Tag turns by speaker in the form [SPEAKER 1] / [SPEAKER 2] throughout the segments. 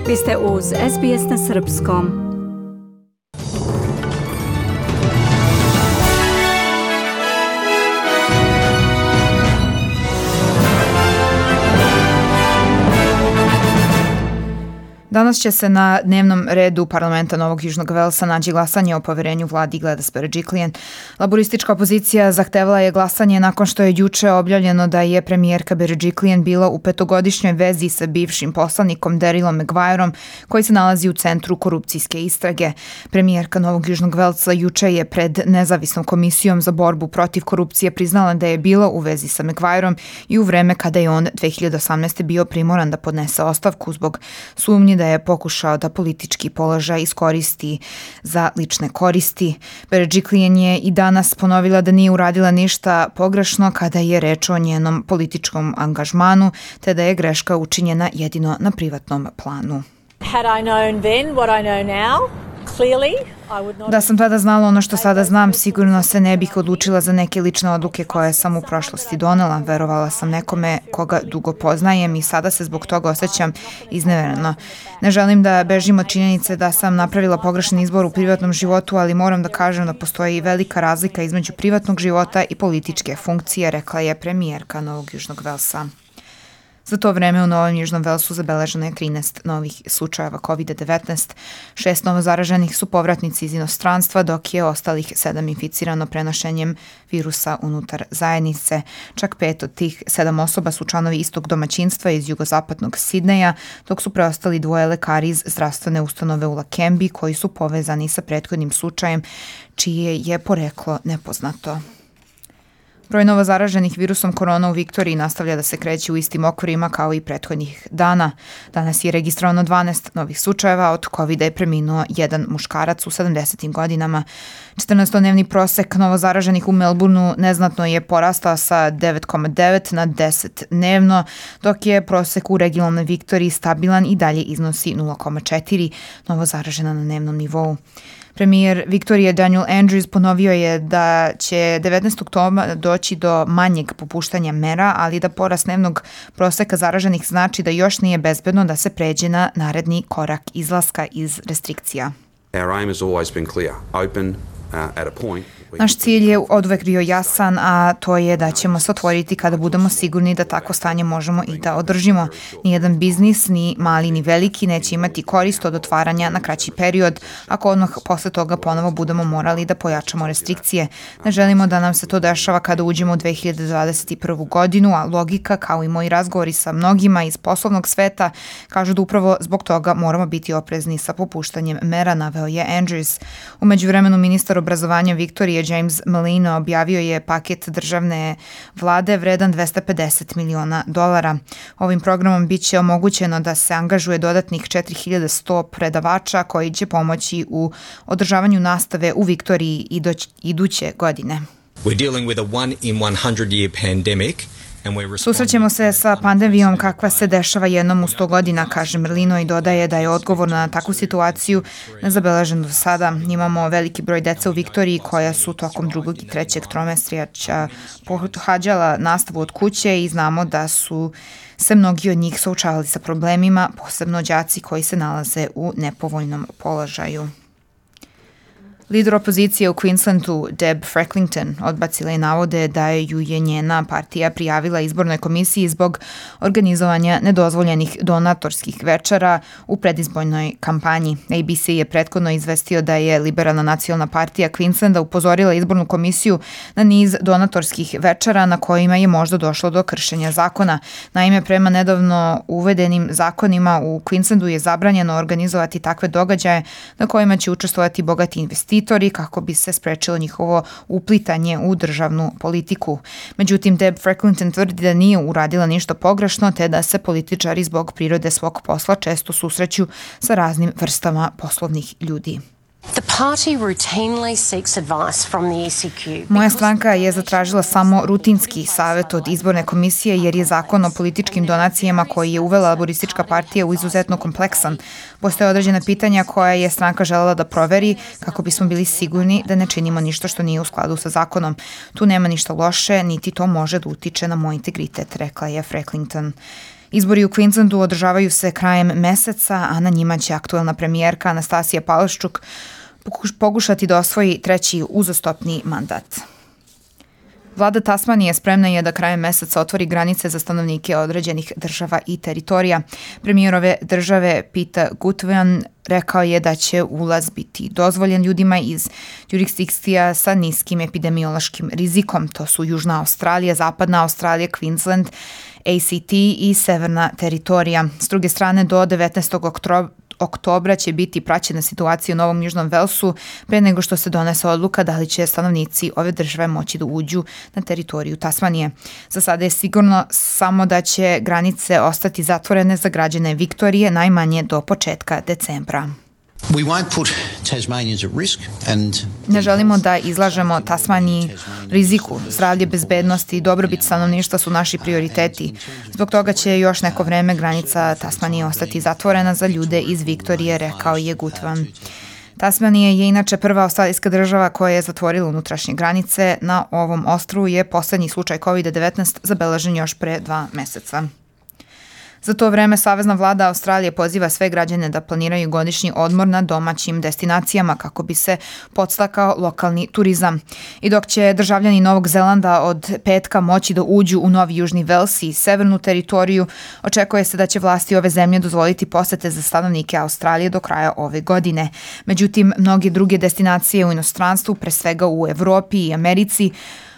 [SPEAKER 1] Vi ste uz SBS na Srpskom.
[SPEAKER 2] Danas će se na dnevnom redu parlamenta Novog Južnog Velsa naći glasanje o poverenju vladi Gladys Berejiklian. Laboristička opozicija zahtevala je glasanje nakon što je juče objavljeno da je premijerka Berejiklian bila u petogodišnjoj vezi sa bivšim poslanikom Darylom Maguireom koji se nalazi u centru korupcijske istrage. Premijerka Novog Južnog Velsa juče je pred nezavisnom komisijom za borbu protiv korupcije priznala da je bila u vezi sa Maguireom i u vreme kada je on 2018. bio primoran da podnese ostavku zbog sumnji da je pokušao da politički položaj iskoristi za lične koristi. Berejiklian je i danas ponovila da nije uradila ništa pogrešno kada je reč o njenom političkom angažmanu, te da je greška učinjena jedino na privatnom planu. Da sam tada znala ono što sada znam, sigurno se ne bih odlučila za neke lične odluke koje sam u prošlosti donela. Verovala sam nekome koga dugo poznajem i sada se zbog toga osjećam iznevereno. Ne želim da bežim od činjenice da sam napravila pogrešan izbor u privatnom životu, ali moram da kažem da postoji velika razlika između privatnog života i političke funkcije, rekla je premijerka Novog Južnog Velsa. Za to vreme u Novom Južnom Velsu zabeleženo je 13 novih slučajeva COVID-19. 6 novozaraženih su povratnici iz inostranstva, dok je ostalih 7 inficirano prenošenjem virusa unutar zajednice. Čak 5 od tih 7 osoba su članovi istog domaćinstva iz jugozapadnog Sidneja, dok su preostali 2 lekari iz zdravstvene ustanove u Lakembi koji su povezani sa prethodnim slučajem, čije je poreklo nepoznato. Broj novozaraženih virusom korona u Viktoriji nastavlja da se kreće u istim okvirima kao i prethodnih dana. Danas je registrovano 12 novih slučajeva, od COVID-a je preminuo jedan muškarac u 70. godinama. 14-dnevni prosek novozaraženih u Melbourneu neznatno je porastao sa 9,9 na 10 dnevno, dok je prosek u regionalnoj Viktoriji stabilan i dalje iznosi 0,4 novozaražena na dnevnom nivou. Premijer Viktorije Daniel Andrews ponovio je da će 19. oktobra doći do manjeg popuštanja mera, ali da porast dnevnog proseka zaraženih znači da još nije bezbedno da se pređe na naredni korak izlaska iz restrikcija. Naš cilj je oduvek bio jasan, a to je da ćemo se otvoriti kada budemo sigurni da tako stanje možemo i da održimo. Nijedan biznis, ni mali ni veliki, neće imati korist od otvaranja na kraći period, ako odmah posle toga ponovo budemo morali da pojačamo restrikcije. Ne želimo da nam se to dešava kada uđemo u 2021. godinu, a logika, kao i moji razgovori sa mnogima iz poslovnog sveta, kažu da upravo zbog toga moramo biti oprezni sa popuštanjem mera, naveo je Andrews. U međuvremenu ministar obrazovanja Viktorije James Merlino objavio je paket državne vlade vredan $250 miliona. Ovim programom biće omogućeno da se angažuje dodatnih 4100 predavača koji će pomoći u održavanju nastave u Viktoriji iduće godine.
[SPEAKER 3] We're dealing with a 1 in 100 year pandemic.
[SPEAKER 2] Susrećemo se sa pandemijom kakva se dešava jednom u 100 godina, kaže Merlino i dodaje da je odgovor na takvu situaciju nezabeležen do sada. Imamo veliki broj dece u Viktoriji koja su tokom 2. i 3. tromesečja pohađala nastavu od kuće i znamo da su se mnogi od njih suočavali sa problemima, posebno đaci koji se nalaze u nepovoljnom položaju. Lider opozicije u Queenslandu, Deb Frecklington, odbacila je navode da ju je njena partija prijavila izbornoj komisiji zbog organizovanja nedozvoljenih donatorskih večera u predizbornoj kampanji. ABC je prethodno izvestio da je Liberalna nacionalna partija Queenslanda upozorila izbornu komisiju na niz donatorskih večera na kojima je možda došlo do kršenja zakona. Naime, prema nedavno uvedenim zakonima u Queenslandu je zabranjeno organizovati takve događaje na kojima će učestvovati bogati investitori kako bi se sprečilo njihovo uplitanje u državnu politiku. Međutim, Deb Frecklington tvrdi da nije uradila ništa pogrešno, te da se političari zbog prirode svog posla često susreću sa raznim vrstama poslovnih ljudi. Moja stranka je zatražila samo rutinski savjet od izborne komisije jer je zakon o političkim donacijama koji je uvela Laboristička partija u izuzetno kompleksan. Postoje određena pitanja koja je stranka želela da proveri kako bismo bili sigurni da ne činimo ništa što nije u skladu sa zakonom. Tu nema ništa loše, niti to može da utiče na moj integritet, rekla je Frecklington. Izbori u Queenslandu održavaju se krajem meseca, a na njima će aktuelna premijerka Anastasija Palaszczuk pokušati da osvoji treći uzastopni mandat. Vlada Tasmanije spremna je da krajem meseca otvori granice za stanovnike određenih država i teritorija. Premijer ove države Peter Gutwein rekao je da će ulaz biti dozvoljen ljudima iz jurisdikcija sa niskim epidemiološkim rizikom. To su Južna Australija, Zapadna Australija, Queensland, ACT i Severna teritorija. S druge strane, do 19. oktobra će biti praćena situacija u Novom Južnom Velsu pre nego što se donese odluka da li će stanovnici ove države moći da uđu na teritoriju Tasmanije. Za sada je sigurno samo da će granice ostati zatvorene za građane Viktorije najmanje do početka decembra. Ne želimo da izlažemo Tasmaniji riziku. Zdravlje, bezbednost i dobrobit stanovništva su naši prioriteti. Zbog toga će još neko vreme granica Tasmanije ostati zatvorena za ljude iz Viktorije, rekao je Gutwein. Tasmanija je inače prva australijska država koja je zatvorila unutrašnje granice. Na ovom ostrvu je poslednji slučaj COVID-19 zabeležen još pre 2 meseca. Za to vreme Savezna vlada Australije poziva sve građane da planiraju godišnji odmor na domaćim destinacijama kako bi se podstakao lokalni turizam. I dok će državljani Novog Zelanda od petka moći da uđu u Novi Južni Vels i severnu teritoriju, očekuje se da će vlasti ove zemlje dozvoliti posete za stanovnike Australije do kraja ove godine. Međutim, mnoge druge destinacije u inostranstvu, pre svega u Evropi i Americi,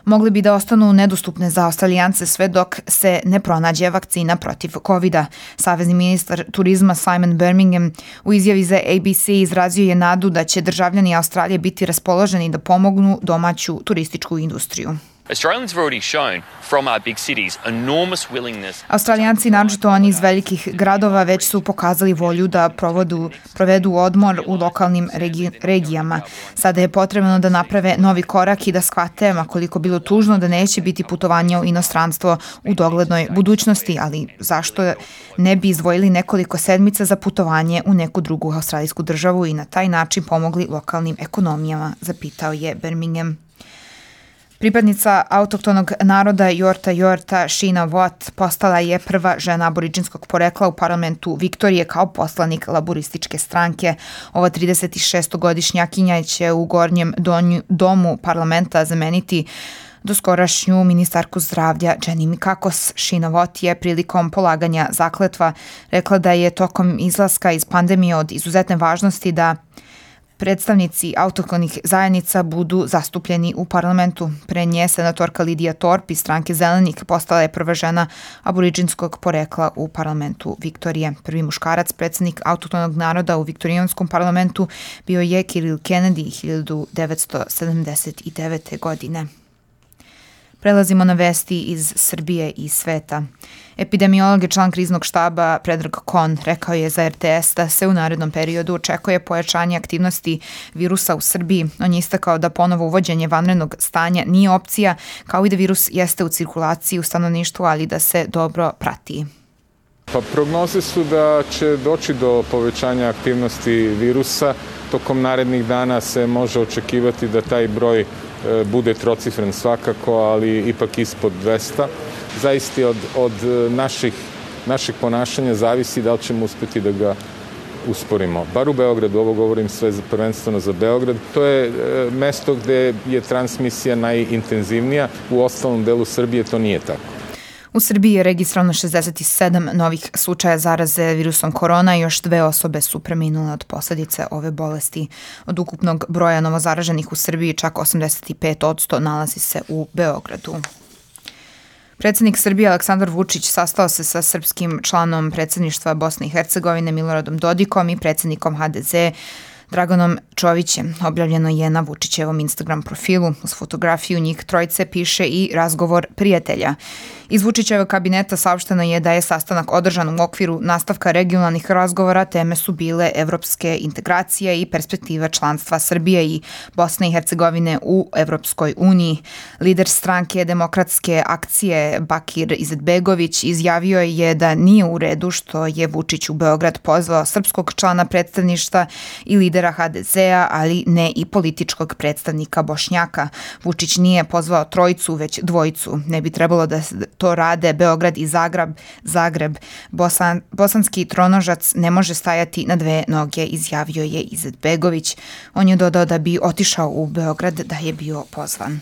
[SPEAKER 2] mogli bi da ostanu nedostupne za Australijance sve dok se ne pronađe vakcina protiv COVID-a. Savezni ministar turizma Simon Birmingham u izjavi za ABC izrazio je nadu da će državljani Australije biti raspoloženi da pomognu domaću turističku industriju. Australijanci, naročito oni iz velikih gradova, već su pokazali volju da provedu odmor u lokalnim regijama. Sada je potrebno da naprave novi korak i da shvate, makoliko bilo tužno, da neće biti putovanja u inostranstvo u doglednoj budućnosti, ali zašto ne bi izdvojili nekoliko sedmica za putovanje u neku drugu australijsku državu i na taj način pomogli lokalnim ekonomijama, zapitao je Birmingham. Pripadnica autohtonog naroda Yorta Sheena Watt postala je prva žena aboriđinskog porekla u parlamentu Viktorije kao poslanik laborističke stranke. Ova 36-godišnjakinja će u gornjem domu parlamenta zameniti doskorašnju ministarku zdravlja Jenny Mikakos. Sheena Watt je prilikom polaganja zakletva rekla da je tokom izlaska iz pandemije od izuzetne važnosti da predstavnici autohtonih zajednica budu zastupljeni u parlamentu. Pre nje senatorka Lidija Thorpe iz stranke Zelenih postala je prva žena aboriđinskog porekla u parlamentu Viktorije. Prvi muškarac, predsednik autohtonog naroda u viktorijanskom parlamentu, bio je Kirill Kennedy 1979. godine. Prelazimo na vesti iz Srbije i sveta. Epidemiolog i član kriznog štaba Predrag Kon rekao je za RTS da se u narednom periodu očekuje pojačanje aktivnosti virusa u Srbiji. On je istakao da ponovo uvođenje vanrednog stanja nije opcija, kao i da virus jeste u cirkulaciji u stanovništvu, ali da se dobro prati.
[SPEAKER 4] Prognoze su da će doći do povećanja aktivnosti virusa. Tokom narednih dana se može očekivati da taj broj bude trocifren svakako, ali ipak ispod 200. Zaista od naših ponašanja zavisi da li ćemo uspeti da ga usporimo. Bar u Beogradu, ovo govorim sve prvenstveno za Beograd, to je mesto gde je transmisija najintenzivnija, u ostalom delu Srbije to nije tako.
[SPEAKER 2] U Srbiji je registrovano 67 novih slučaja zaraze virusom korona i još 2 osobe su preminule od posledice ove bolesti. Od ukupnog broja novozaraženih u Srbiji čak 85% nalazi se u Beogradu. Predsednik Srbije Aleksandar Vučić sastao se sa srpskim članom predsedništva Bosne i Hercegovine Miloradom Dodikom i predsednikom HDZ Draganom Čovićem. Objavljeno je na Vučićevom Instagram profilu. Uz fotografiju njih trojice piše i razgovor prijatelja. Iz Vučićevog kabineta saopšteno je da je sastanak održan u okviru nastavka regionalnih razgovora. Teme su bile evropske integracije i perspektiva članstva Srbije i Bosne i Hercegovine u Evropskoj uniji. Lider stranke Demokratske akcije Bakir Izetbegović izjavio je da nije u redu što je Vučić u Beograd pozvao srpskog člana predstavništva i lidera lidera HDZ-a, ali ne i političkog predstavnika Bošnjaka. Vučić nije pozvao trojicu, već dvojicu. Ne bi trebalo da to rade Beograd i Zagreb. Bosanski tronožac ne može stajati na dve noge, izjavio je Izetbegović. On je dodao da bi otišao u Beograd da je bio pozvan.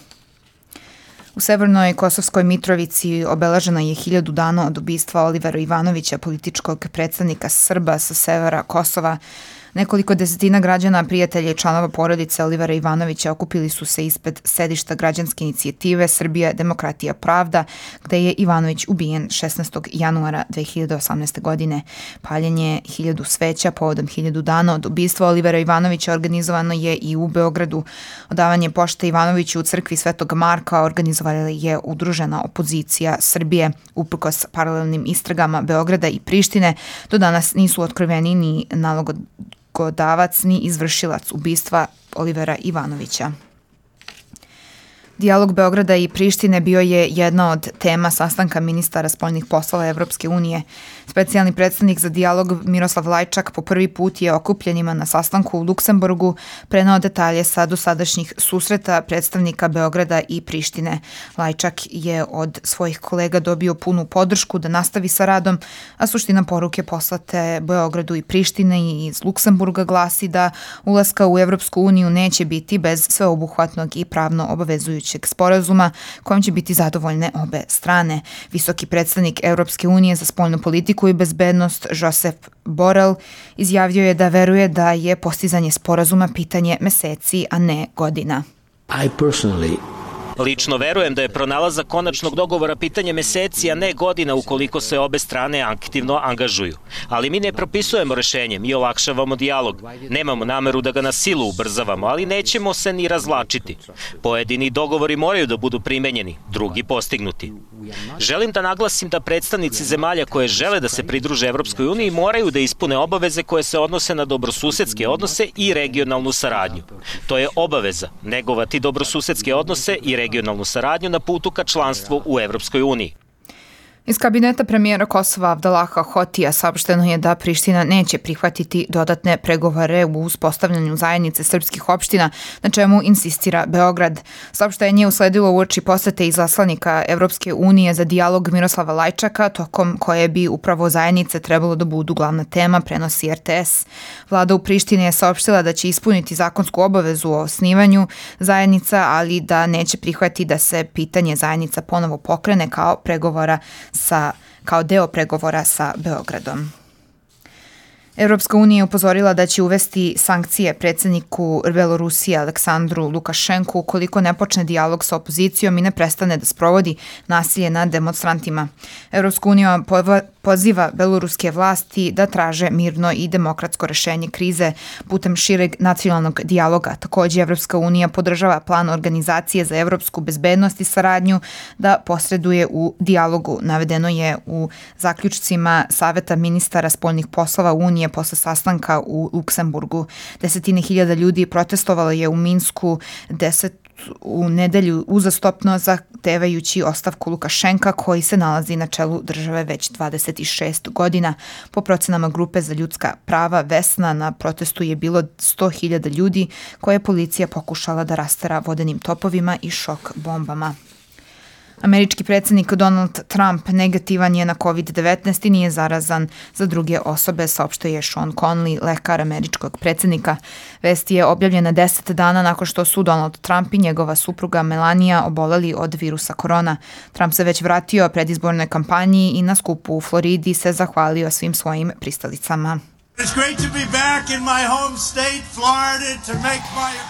[SPEAKER 2] U Severnoj Kosovskoj Mitrovici obeleženo je 1000 dana od ubistva Olivera Ivanovića, političkog predstavnika Srba sa severa Kosova. Nekoliko desetina građana, prijatelja i članova porodice Olivera Ivanovića okupili su se ispred sedišta građanske inicijative Srbija, demokratija, pravda, gde je Ivanović ubijen 16. januara 2018. godine. Paljenje 1000 sveća povodom 1000 dana od ubistva Olivera Ivanovića organizovano je i u Beogradu. Odavanje pošte Ivanoviću u crkvi Svetog Marka organizovala je udružena opozicija Srbije. Uprkos paralelnim istragama Beograda i Prištine, do danas nisu otkriveni ni nalogodavac ni izvršilac ubistva Olivera Ivanovića. Dijalog Beograda i Prištine bio je jedna od tema sastanka ministara spoljnih poslova Evropske unije. Specijalni predstavnik za dijalog Miroslav Lajčak po prvi put je okupljenima na sastanku u Luksemburgu preneo detalje sa dosadašnjih susreta predstavnika Beograda i Prištine. Lajčak je od svojih kolega dobio punu podršku da nastavi sa radom, a suština poruke poslate Beogradu i Prištine i iz Luksemburga glasi da ulaska u Evropsku uniju neće biti bez sveobuhvatnog i pravno obavezujućeg sporazuma kojim će biti zadovoljne obe strane. Visoki predstavnik Evropske unije za spoljnu politiku i bezbednost Josep Borrell izjavio je da veruje da je postizanje sporazuma pitanje meseci, a ne godina.
[SPEAKER 5] Lično verujem da je pronalazak konačnog dogovora pitanje meseci, a ne godina ukoliko se obe strane aktivno angažuju. Ali mi ne propisujemo rešenje, mi olakšavamo dijalog. Nemamo nameru da ga na silu ubrzavamo, ali nećemo se ni razvlačiti. Pojedini dogovori moraju da budu primenjeni, drugi postignuti. Želim da naglasim da predstavnici zemalja koje žele da se pridruže Evropskoj uniji moraju da ispune obaveze koje se odnose na dobrosusedske odnose i regionalnu saradnju. To je obaveza, negovati dobrosusedske odnose i regionalnu saradnju na putu ka članstvu u Evropskoj uniji.
[SPEAKER 2] Iz kabineta premijera Kosova Abdalaha Hotija saopšteno je da Priština neće prihvatiti dodatne pregovore u uspostavljanju zajednice srpskih opština, na čemu insistira Beograd. Saopštenje je usledilo uoči posete izaslanika Evropske unije za dijalog Miroslava Lajčaka, tokom koje bi upravo zajednice trebalo da budu glavna tema, prenosi RTS. Vlada u Prištini je saopštila da će ispuniti zakonsku obavezu o osnivanju zajednica, ali da neće prihvatiti da se pitanje zajednica ponovo pokrene kao deo pregovora sa Beogradom. Evropska unija je upozorila da će uvesti sankcije predsjedniku Belorusije Aleksandru Lukašenku ukoliko ne počne dijalog sa opozicijom i ne prestane da sprovodi nasilje nad demonstrantima. Evropska unija poziva beloruske vlasti da traže mirno i demokratsko rešenje krize putem šireg nacionalnog dijaloga. Također, Evropska unija podržava plan Organizacije za evropsku bezbednost i saradnju da posreduje u dijalogu. Navedeno je u zaključcima Saveta ministara spoljnih poslova Unije posle sastanka u Luksemburgu. Desetine hiljada ljudi protestovalo je u Minsku u nedelju uzastopno zahtevajući ostavku Lukašenka koji se nalazi na čelu države već 26 godina. Po procenama grupe za ljudska prava Vesna na protestu je bilo 100.000 ljudi koje je policija pokušala da rastera vodenim topovima i šok bombama. Američki predsjednik Donald Trump negativan je na COVID-19 i nije zarazan za druge osobe, saopštio je Sean Conley, lekar američkog predsjednika. Vest je objavljena 10 dana nakon što su Donald Trump i njegova supruga Melania oboleli od virusa korona. Trump se već vratio predizbornoj kampanji i na skupu u Floridi se zahvalio svim svojim pristalicama.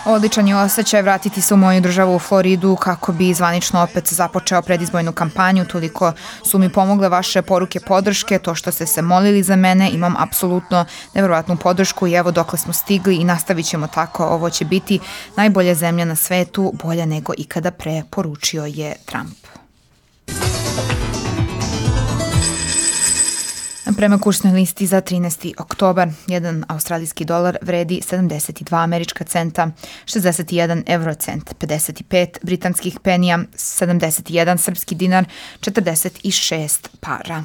[SPEAKER 2] Odličan je osjećaj vratiti se u moju državu u Floridu kako bi zvanično opet započeo predizbornu kampanju. Toliko su mi pomogle vaše poruke podrške, to što ste se molili za mene, imam apsolutno nevjerovatnu podršku i evo dokle smo stigli i nastavit ćemo tako. Ovo će biti najbolja zemlja na svetu, bolja nego ikada pre, poručio je Trump. Prema kursnoj listi za 13. oktobar, jedan australijski dolar vredi 72 američka centa, 61 eurocent, 55 britanskih penija, 71 srpski dinar, 46 para.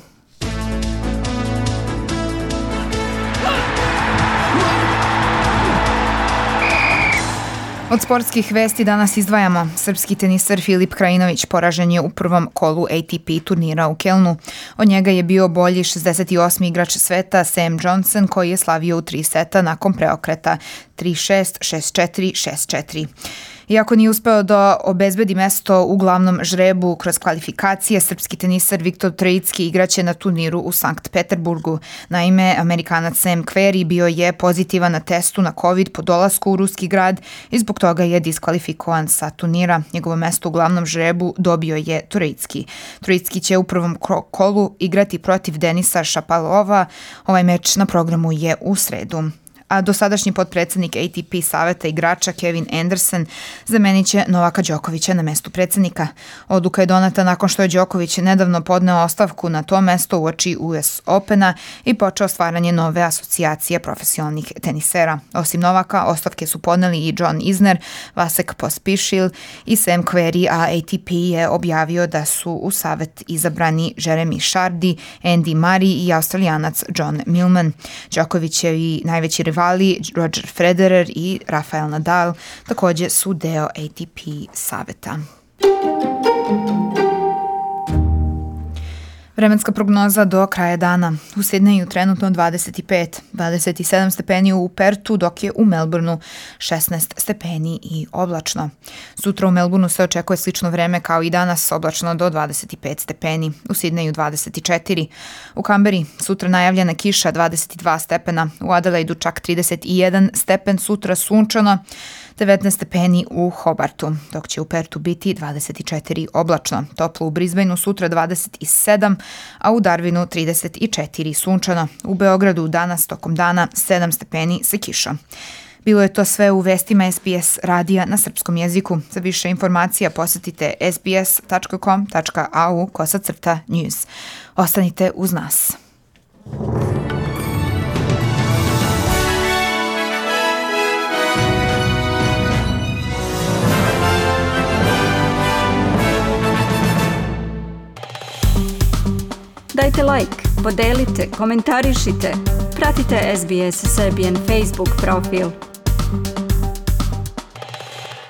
[SPEAKER 2] Od sportskih vesti danas izdvajamo. Srpski teniser Filip Krajinović poražen je u prvom kolu ATP turnira u Kelnu. Od njega je bio bolji 68. igrač sveta Sam Johnson, koji je slavio u 3 seta nakon preokreta 3-6, 6-4, 6-4. Iako nije uspeo da obezbedi mesto u glavnom žrebu kroz kvalifikacije, srpski teniser Viktor Troicki igraće na turniru u Sankt Peterburgu. Naime, Amerikanac Sam Querrey bio je pozitivan na testu na COVID po dolasku u ruski grad i zbog toga je diskvalifikovan sa turnira. Njegovo mesto u glavnom žrebu dobio je Troicki. Troicki će u prvom kolu igrati protiv Denisa Šapovalova. Ovaj meč na programu je u sredu. A dosadašnji potpredsednik ATP saveta igrača Kevin Anderson zamenit će Novaka Đokovića na mestu predsednika. Odluka je doneta nakon što je Đoković nedavno podneo ostavku na to mesto uoči US Opena i počeo stvaranje nove asocijacije profesionalnih tenisera. Osim Novaka, ostavke su podneli i John Isner, Vasek Pospišil i Sam Querrey, a ATP je objavio da su u savet izabrani Jeremy Chardy, Andy Murray i Australijanac John Millman. Đoković je i najveći rival Roger Federer i Rafael Nadal takođe su deo ATP saveta. Vremenska prognoza do kraja dana. U Sidneju trenutno 25, 27 stepeni u Pertu, dok je u Melbourneu 16 stepeni i oblačno. Sutra u Melbourneu se očekuje slično vreme kao i danas, oblačno do 25 stepeni. U Sidneju 24. U Kamberi sutra najavljena kiša 22 stepena. U Adelaidu čak 31 stepen, sutra sunčano. 19 stepeni u Hobartu, dok će u Pertu biti 24 oblačno. Toplo u Brisbaneu sutra 27, a u Darwinu 34 sunčano. U Beogradu danas tokom dana 7 stepeni sa kišom. Bilo je to sve u vestima SBS radija na srpskom jeziku. Za više informacija posetite sbs.com.au/news. Ostanite uz nas.
[SPEAKER 1] Dajte like, podelite, komentarišite. Pratite SBS Serbian Facebook profil.